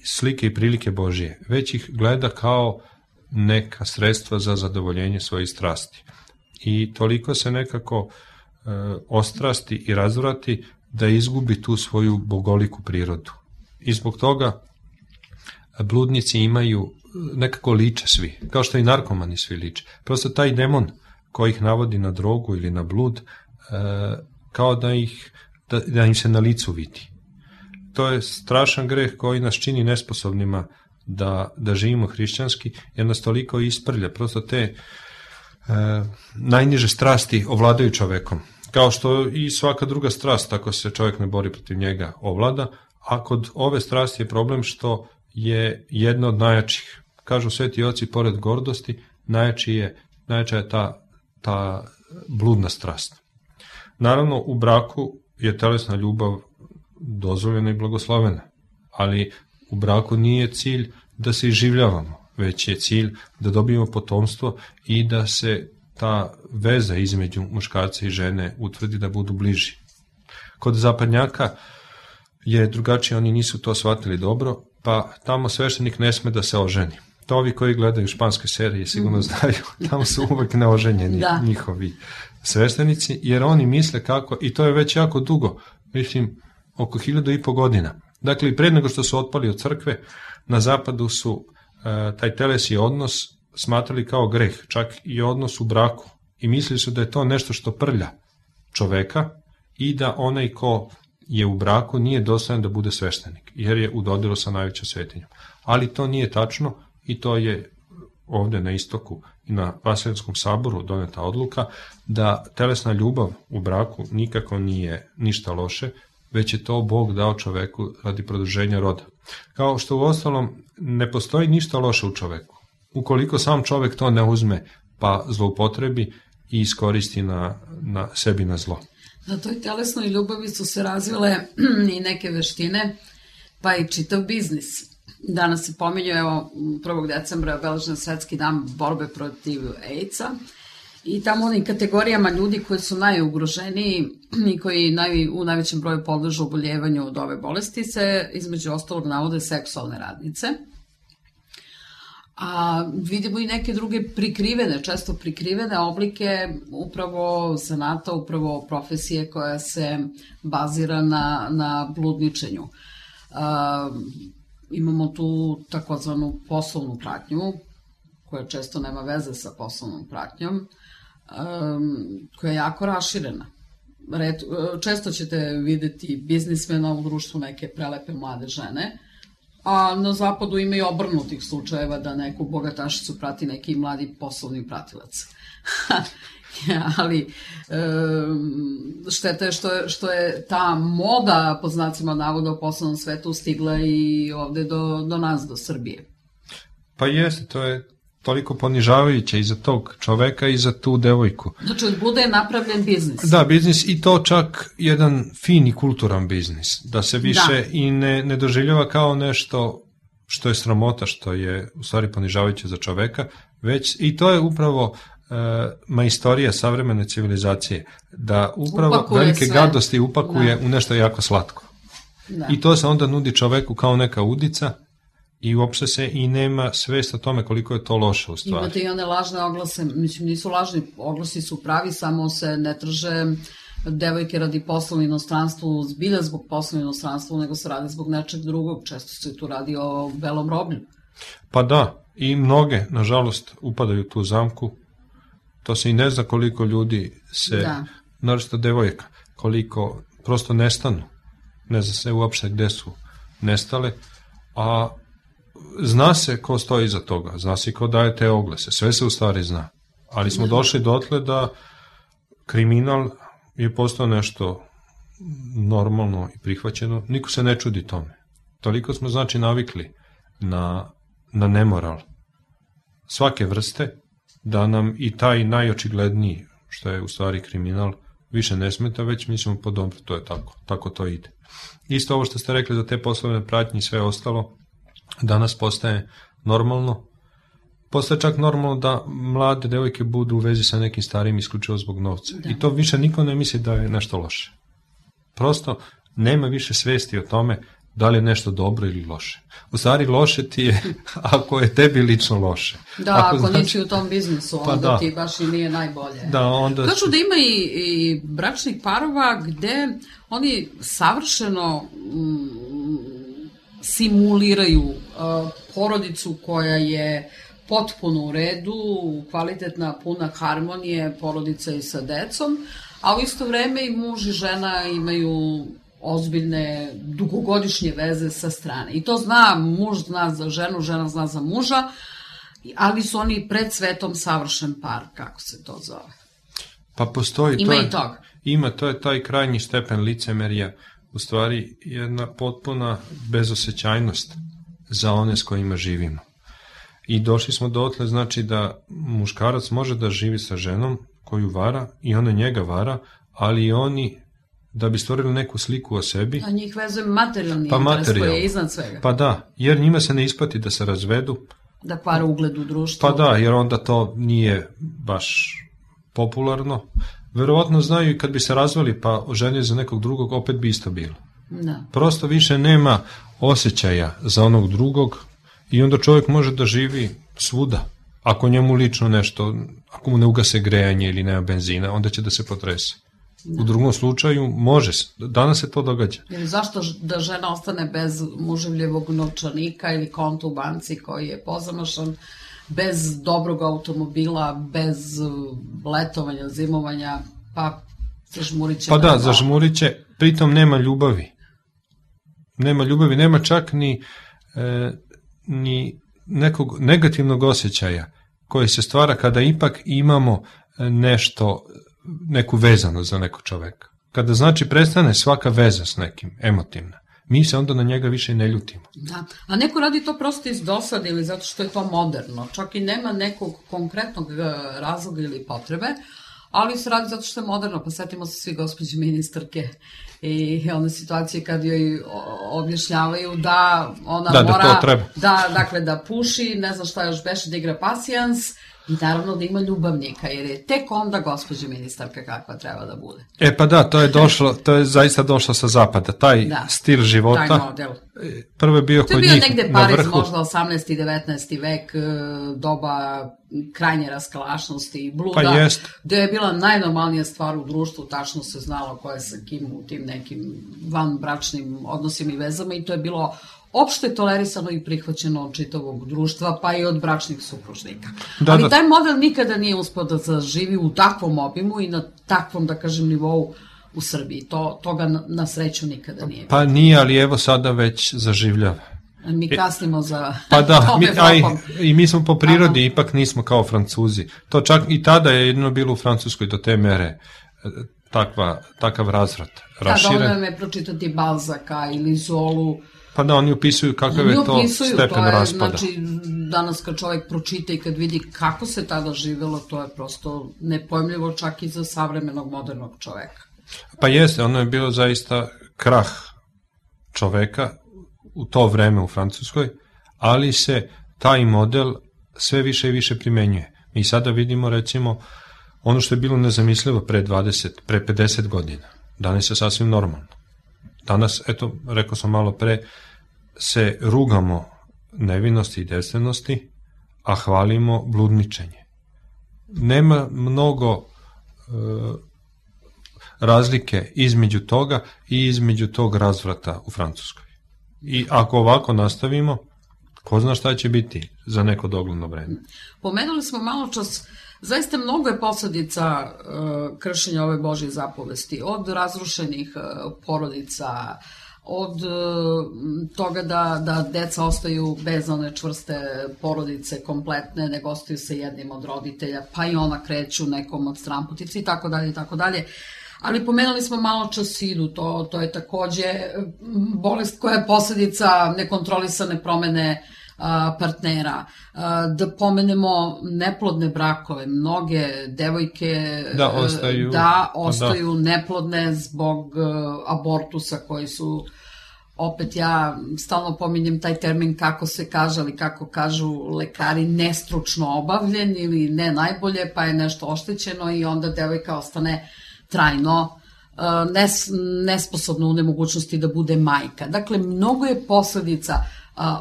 slike i prilike Božije, već ih gleda kao neka sredstva za zadovoljenje svojih strasti. I toliko se nekako ostrasti i razvrati, da izgubi tu svoju bogoliku prirodu. I zbog toga bludnici imaju nekako liče svi, kao što i narkomani svi liče. Prosto taj demon koji ih navodi na drogu ili na blud, kao da im se na licu vidi. To je strašan greh koji nas čini nesposobnima da živimo hrišćanski, jer nas toliko isprlja. Prosto te najniže strasti ovladaju čovekom. Kao što i svaka druga strast, ako se čovjek ne bori protiv njega, ovlada, a kod ove strasti je problem što je jedna od najjačih. Kažu sveti oci, pored gordosti, najjača je ta bludna strast. Naravno, u braku je telesna ljubav dozvoljena i blagoslovena, ali u braku nije cilj da se iživljavamo, već je cilj da dobijemo potomstvo i da se ta veza između muškarca i žene utvrdi, da budu bliži. Kod zapadnjaka je drugačije, oni nisu to shvatili dobro, pa tamo sveštenik ne sme da se oženi. To ovi koji gledaju španske serije sigurno znaju, tamo su uvek neoženjeni njihovi sveštenici, jer oni misle kako, i to je već jako dugo, mislim oko 1500 godina. Dakle, i pred nego što su otpali od crkve, na zapadu su taj telesni odnos smatrali kao greh, čak i odnos u braku. I mislili su da je to nešto što prlja čoveka i da onaj ko je u braku nije dostojan da bude sveštenik, jer je u dodiru sa najvećom svetinjom. Ali to nije tačno i to je ovde na istoku i na Vaseljanskom saboru doneta odluka da telesna ljubav u braku nikako nije ništa loše, već je to Bog dao čoveku radi produženja roda. Kao što u ostalom ne postoji ništa loše u čoveku. Ukoliko sam čovek to ne uzme pa zloupotrebi i iskoristi na sebi na zlo. Na toj telesnoj ljubavi su se razvile i neke veštine, pa i čitav biznis. Danas se pominju, evo, 1. decembra je obeležen svetski dan borbe protiv AIDS-a i tamo onim kategorijama ljudi koji su najugroženiji i koji u najvećem broju podležu oboljevanju od ove bolesti se između ostalog navode seksualne radnice. A vidimo i neke druge često prikrivene oblike upravo zanata, upravo profesije koja se bazira na bludničenju. Imamo tu takozvanu poslovnu pratnju, koja često nema veze sa poslovnom pratnjom, koja je jako raširena. Često ćete videti biznismena u društvu, neke prelepe mlade žene, a na zapadu ima i obrnutih slučajeva da neku bogatašicu prati neki mladi poslovni pratilac. Ali šteta je što je ta moda, po znacima navoda, u poslovnom svetu stigla i ovde do nas, do Srbije. Pa jeste, to je toliko ponižavajuće i za tog čoveka i za tu devojku. Znači, od bluda je napravljen biznis. Da, biznis, i to čak jedan fin i kulturan biznis, da se više i ne doživljava kao nešto što je sramota, što je u stvari ponižavajuće za čoveka, već i to je upravo majstorija savremene civilizacije, da upravo upakuje velike gadosti upakuje u nešto jako slatko. I to se onda nudi čoveku kao neka udica i uopšte se i nema svest o tome koliko je to loše u stvari. Imate i one lažne oglase, mislim nisu lažni, oglasi su pravi, samo se ne traže devojke radi posla u inostranstvu, zbilja zbog posla u inostranstvu, nego se radi zbog nečeg drugog, često se tu radi o belom roblju. Pa da, i mnoge, nažalost, upadaju u tu zamku, to se i ne zna koliko ljudi se, naročito devojka, koliko prosto nestanu, ne zna se uopšte gde su nestale, a zna se ko stoji iza toga, zna se ko daje te oglase, sve se u stvari zna, ali smo došli dotle da kriminal je postao nešto normalno i prihvaćeno, niko se ne čudi tome. Toliko smo znači navikli na nemoral svake vrste, da nam i taj najočigledniji, što je u stvari kriminal, više ne smeta, već mislimo po dobro, to je tako to ide. Isto ovo što ste rekli za te poslovne pratnje i sve ostalo, danas postaje normalno. Postaje čak normalno da mlade devojke budu u vezi sa nekim starijim isključivo zbog novca. I to više niko ne misli da je nešto loše. Prosto nema više svesti o tome da li je nešto dobro ili loše. U stvari loše ti je ako je tebi lično loše. Da, ako nisi u tom biznisu, onda ti baš i nije najbolje. Da, onda... Kažu da ima i bračnih parova gde oni savršeno simuliraju porodicu koja je potpuno u redu, kvalitetna, puna harmonije, porodica i sa decom, a u isto vreme i muž i žena imaju ozbiljne, dugogodišnje veze sa strane. I to zna, muž zna za ženu, žena zna za muža, ali su oni pred svetom savršen par, kako se to zove. Pa postoji ima to. Ima i toga. Ima, to je taj krajnji stepen licemerja, u stvari jedna potpuna bezosećajnost za one s kojima živimo. I došli smo dotle, znači da muškarac može da živi sa ženom koju vara i ona njega vara, ali i oni da bi stvorili neku sliku o sebi. A njih vezuje materijalni interes koji je iznad svega. Pa da, jer njima se ne isplati da se razvedu. Da kvare ugled u društvu. Pa da, jer onda to nije baš popularno. Verovatno znaju i kad bi se razveli pa oženili za nekog drugog, opet bi isto bilo. Da. Prosto više nema osjećaja za onog drugog i onda čovjek može da živi svuda. Ako njemu lično nešto, ako mu ne ugase grejanje ili nema benzina, onda će da se potrese. Da. U drugom slučaju može, danas se to događa. Jer zašto da žena ostane bez muževljevog novčanika ili konta u banci koji je pozamašan, bez dobrog automobila, bez letovanja, zimovanja, pa zažmurit će. Pa da, zažmurit će, pritom nema ljubavi. Nema ljubavi, nema čak ni nekog negativnog osjećaja koji se stvara kada ipak imamo nešto, neku vezanu za nekog čoveka. Kada znači prestane svaka veza s nekim, emotivna, mi se onda na njega više ne ljutimo. Da, a neko radi to prosto iz dosade ili zato što je to moderno, čak i nema nekog konkretnog razloga ili potrebe, ali se radi zato što je moderno, pa setimo se svi gospođe ministarke i one situacije kad joj objašnjavaju da ona mora da puši, ne znam šta još beše, da igra pasijans i naravno da ima ljubavnika, jer je tek onda gospođa ministarka kakva treba da bude. E pa da, to je zaista došlo sa zapada, taj stil života. Taj model. Prvo je bio kod njih na vrhu. To je bio negde Pariz, možda 18. i 19. vek, doba krajnje raskalašnosti i bluda, pa jest. Gde je bila najnormalnija stvar u društvu, tačno se znalo ko je sa kim u tim nekim vanbračnim odnosima i vezama i to je bilo opšte tolerisano i prihvaćeno od čitavog društva, pa i od bračnih supružnika. Ali taj model nikada nije uspeo da zaživi u takvom obimu i na takvom, da kažem, nivou u Srbiji. Toga na sreću nikada nije. Pa nije, ali evo sada već zaživljava. Mi kasnimo za pa da, i mi smo po prirodi, ipak nismo kao Francuzi. To čak i tada je jedino bilo u Francuskoj do te mere takav razvrat. Da, dovoljno je pročitati Balzaka ili Zolu. Pa da, oni upisuju kakav je to stepen raspada. Znači, danas kad čovjek pročita i kad vidi kako se tada živelo, to je prosto nepojmljivo čak i za savremenog modernog čoveka. Pa jeste, ono je bilo zaista krah čoveka u to vreme u Francuskoj, ali se taj model sve više i više primenjuje. Mi sada vidimo, recimo, ono što je bilo nezamislivo pre 50 godina. Danas je sasvim normalno. Danas, eto, rekao sam malo pre, se rugamo nevinosti i devstvenosti, a hvalimo bludničenje. Nema mnogo razlike između toga i između tog razvrata u Francuskoj. I ako ovako nastavimo, ko zna šta će biti za neko dogledno vreme. Pomenuli smo malo čas, zaista mnogo je posledica kršenja ove Božje zapovesti, od razrušenih porodica, od toga da deca ostaju bez one čvrste porodice kompletne, nego ostaju sa jednim od roditelja, pa i ona kreću nekom od stranputice i tako dalje i tako dalje. Ali pomenuli smo malo čas sidu, to je takođe bolest koja je posledica nekontrolisane promene partnera. Da pomenemo neplodne brakove, mnoge devojke ostaju neplodne zbog abortusa koji su, opet ja stalno pominjem taj termin kako se kaže, ali kako kažu lekari, nestručno obavljen ili ne najbolje, pa je nešto oštećeno i onda devojka ostane trajno nesposobna u nemogućnosti da bude majka. Dakle, mnogo je posledica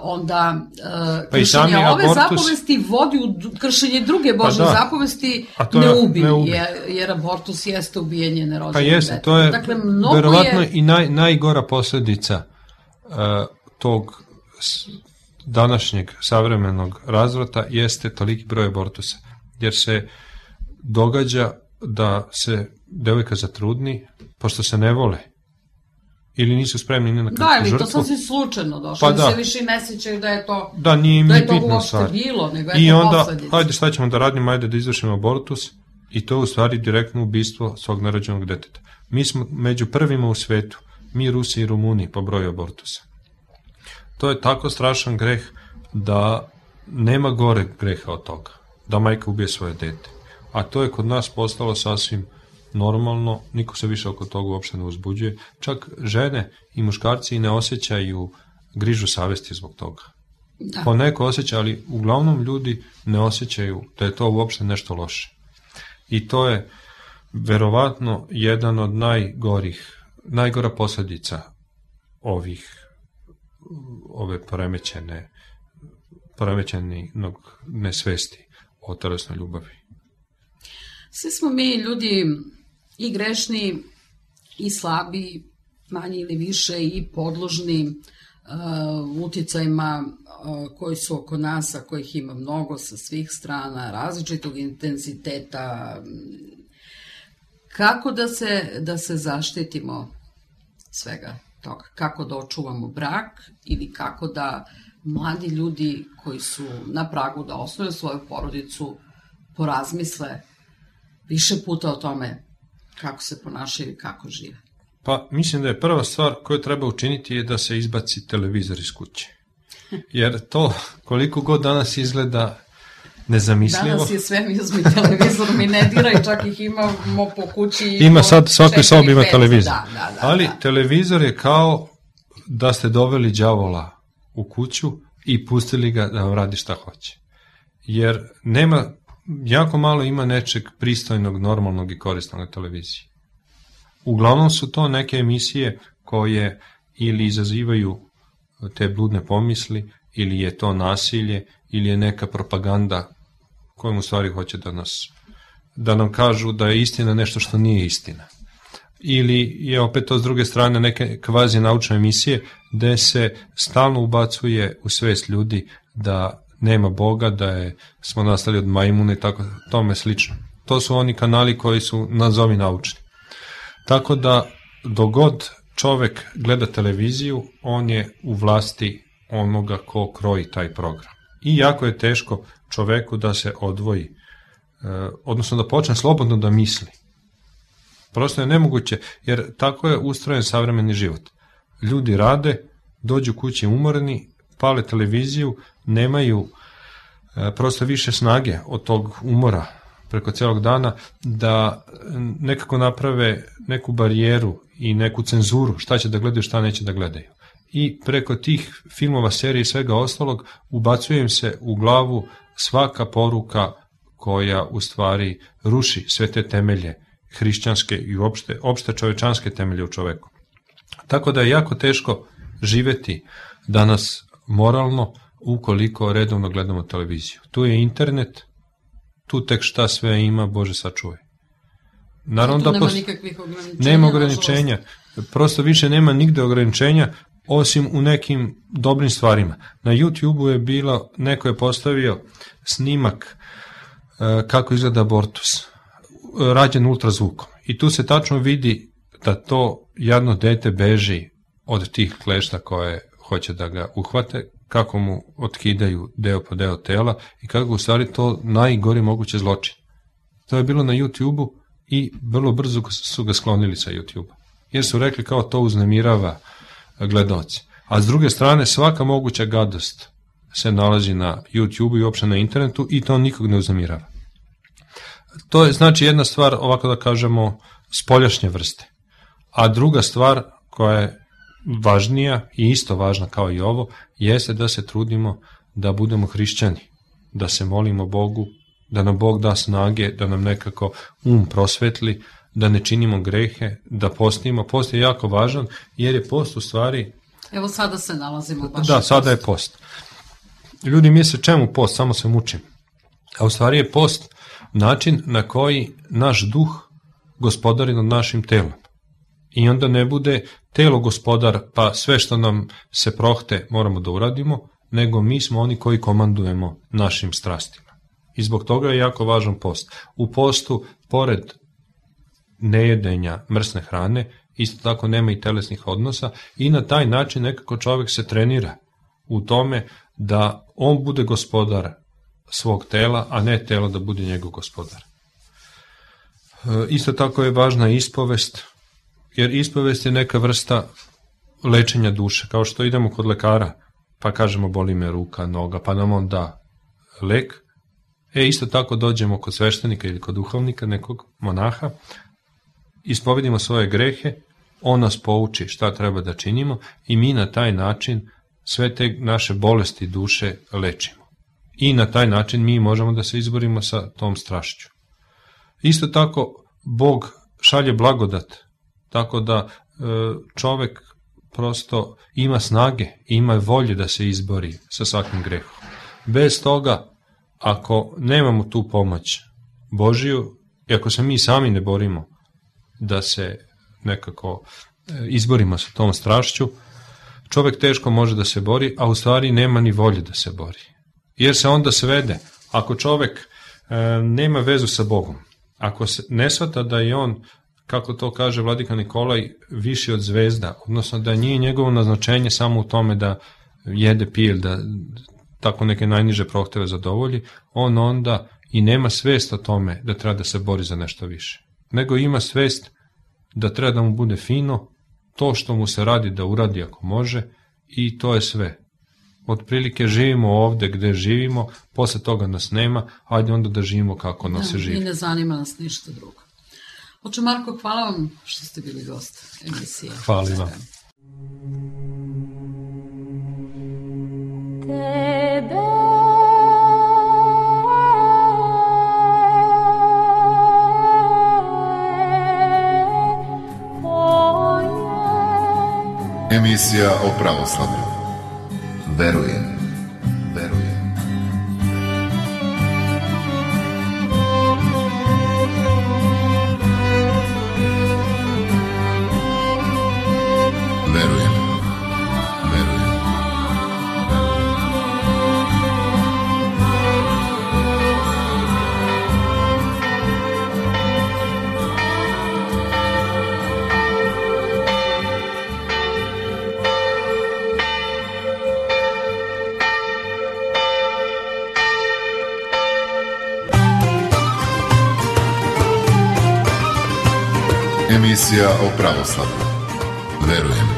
onda kršenje ove zapovesti vodi u kršenje druge Božje zapovesti, ne ubij, jer abortus jeste ubijanje nerođenog deteta. Pa jeste, to je dakle, verovatno i najgora posledica tog današnjeg savremenog razvrata jeste toliki broj abortusa, jer se događa da se devojka zatrudni, pošto se ne vole, ili nisu spremni ni na kakvu žrtvu. Da, ili to sasvim slučajno došlo, pa se više ne sećaju da je to uopšte bilo, nego je i to onda, posledica. Ajde šta ćemo da radimo, ajde da izvršimo abortus, i to je u stvari direktno ubistvo svog nerođenog deteta. Mi smo među prvima u svetu, mi Rusi i Rumuni po broju abortusa. To je tako strašan greh da nema gore greha od toga, da majka ubije svoje dete. A to je kod nas postalo sasvim normalno, niko se više oko toga uopšte ne uzbuđuje, čak žene i muškarci i ne osjećaju grižu savesti zbog toga. Da. Poneko osjeća, ali uglavnom ljudi ne osjećaju da je to uopšte nešto loše. I to je verovatno jedan od najgora posljedica ove poremećenog nesvesti o telesnoj ljubavi. Svi smo mi ljudi i grešni, i slabi, manje ili više, i podložni uticajima koji su oko nas, a kojih ima mnogo sa svih strana, različitog intenziteta. Kako da se zaštitimo svega toga? Kako da očuvamo brak ili kako da mladi ljudi koji su na pragu da osnuju svoju porodicu porazmisle više puta o tome kako se ponašaju i kako žive? Pa mislim da je prva stvar koju treba učiniti je da se izbaci televizor iz kuće. Jer to koliko god danas izgleda nezamislivo. Danas je sve mi uzmi televizor, mi ne diraj, čak ih imamo po kući. Ima sad, svakoj sobi ima televizor. Ali televizor je kao da ste doveli đavola u kuću i pustili ga da vam radi šta hoće. Jer jako malo ima nečeg pristojnog, normalnog i korisnog na televiziji. Uglavnom su to neke emisije koje ili izazivaju te bludne pomisli, ili je to nasilje, ili je neka propaganda kojom u stvari hoće da nam kažu da je istina nešto što nije istina. Ili je opet to s druge strane neke kvazi naučne emisije gde se stalno ubacuje u svest ljudi da nema Boga, da smo nastali od majmuna i tako tome slično. To su oni kanali koji su nazovi naučni. Tako da dogod čovek gleda televiziju, on je u vlasti onoga ko kroji taj program. I jako je teško čoveku da se odvoji, odnosno da počne slobodno da misli. Prosto je nemoguće, jer tako je ustrojen savremeni život. Ljudi rade, dođu kući umorni, pale televiziju, nemaju prosto više snage od tog umora preko celog dana da nekako naprave neku barijeru i neku cenzuru šta će da gledaju, šta neće da gledaju. I preko tih filmova, serije i svega ostalog ubacuje im se u glavu svaka poruka koja u stvari ruši sve te temelje hrišćanske i opšte čovečanske temelje u čoveku. Tako da je jako teško živeti danas moralno ukoliko redovno gledamo televiziju. Tu je internet, tu tek šta sve ima, Bože sačuvaj. Naravno da nema nikakvih ograničenja. Nema ograničenja, prosto više nema nigde ograničenja osim u nekim dobrim stvarima. Na YouTube-u je bilo, neko je postavio snimak kako izgleda abortus, rađen ultrazvukom. I tu se tačno vidi da to jadno dete beži od tih klešta koje hoće da ga uhvate, kako mu otkidaju deo po deo tela i kako u stvari to najgori moguće zločin. To je bilo na YouTube-u i vrlo brzo su ga sklonili sa YouTube-a. Jer su rekli kao to uznemirava gledaoce. A s druge strane svaka moguća gadost se nalazi na YouTube-u i uopšte na internetu i to nikog ne uznemirava. To je znači jedna stvar, ovako da kažemo, spoljašnje vrste. A druga stvar koja je važnija i isto važna kao i ovo, jeste da se trudimo da budemo hrišćani, da se molimo Bogu, da nam Bog da snage, da nam nekako prosvetli, da ne činimo grehe, da postimo. Post je jako važan jer je post u stvari... Evo sada se nalazimo baš. Da, sada je post. Ljudi misle čemu post, samo se mučim. A u stvari je post način na koji naš duh gospodari nad našim telom. I onda ne bude telo gospodar, pa sve što nam se prohte moramo da uradimo, nego mi smo oni koji komandujemo našim strastima. I zbog toga je jako važan post. U postu, pored nejedenja mrsne hrane, isto tako nema i telesnih odnosa i na taj način nekako čovjek se trenira u tome da on bude gospodar svog tela, a ne telo da bude njegov gospodar. Isto tako je važna ispovest, jer ispovest je neka vrsta lečenja duše, kao što idemo kod lekara, pa kažemo boli me ruka, noga, pa nam on da lek. Isto tako dođemo kod sveštenika ili kod duhovnika, nekog monaha, ispovedimo svoje grehe, on nas pouči šta treba da činimo i mi na taj način sve te naše bolesti duše lečimo. I na taj način mi možemo da se izborimo sa tom strašću. Isto tako, Bog šalje blagodat, tako da čovek prosto ima snage, ima volje da se izbori sa svakim grehom. Bez toga, ako nemamo tu pomoć Božiju, i ako se mi sami ne borimo da se nekako izborimo sa tom strašću, čovek teško može da se bori, a u stvari nema ni volje da se bori. Jer se onda svede, ako čovek nema vezu sa Bogom, ako se ne shvata da je on, kako to kaže vladika Nikolaj, viši od zvezda, odnosno da nije njegovo naznačenje samo u tome da jede, pije, da tako neke najniže prohteve zadovolji, on onda i nema svest o tome da treba da se bori za nešto više. Nego ima svest da treba da mu bude fino, to što mu se radi da uradi ako može i to je sve. Otprilike živimo ovde gde živimo, posle toga nas nema, ajde onda da živimo kako nas se živi. I ne zanima nas ništa drugo. Oče Marko, hvala vam što ste bili gost emisije. Hvala vam. Emisija o pravoslavlju. Verujem. Verujem. Verujem. Verujem. Emisija o pravoslavlju. Verujem.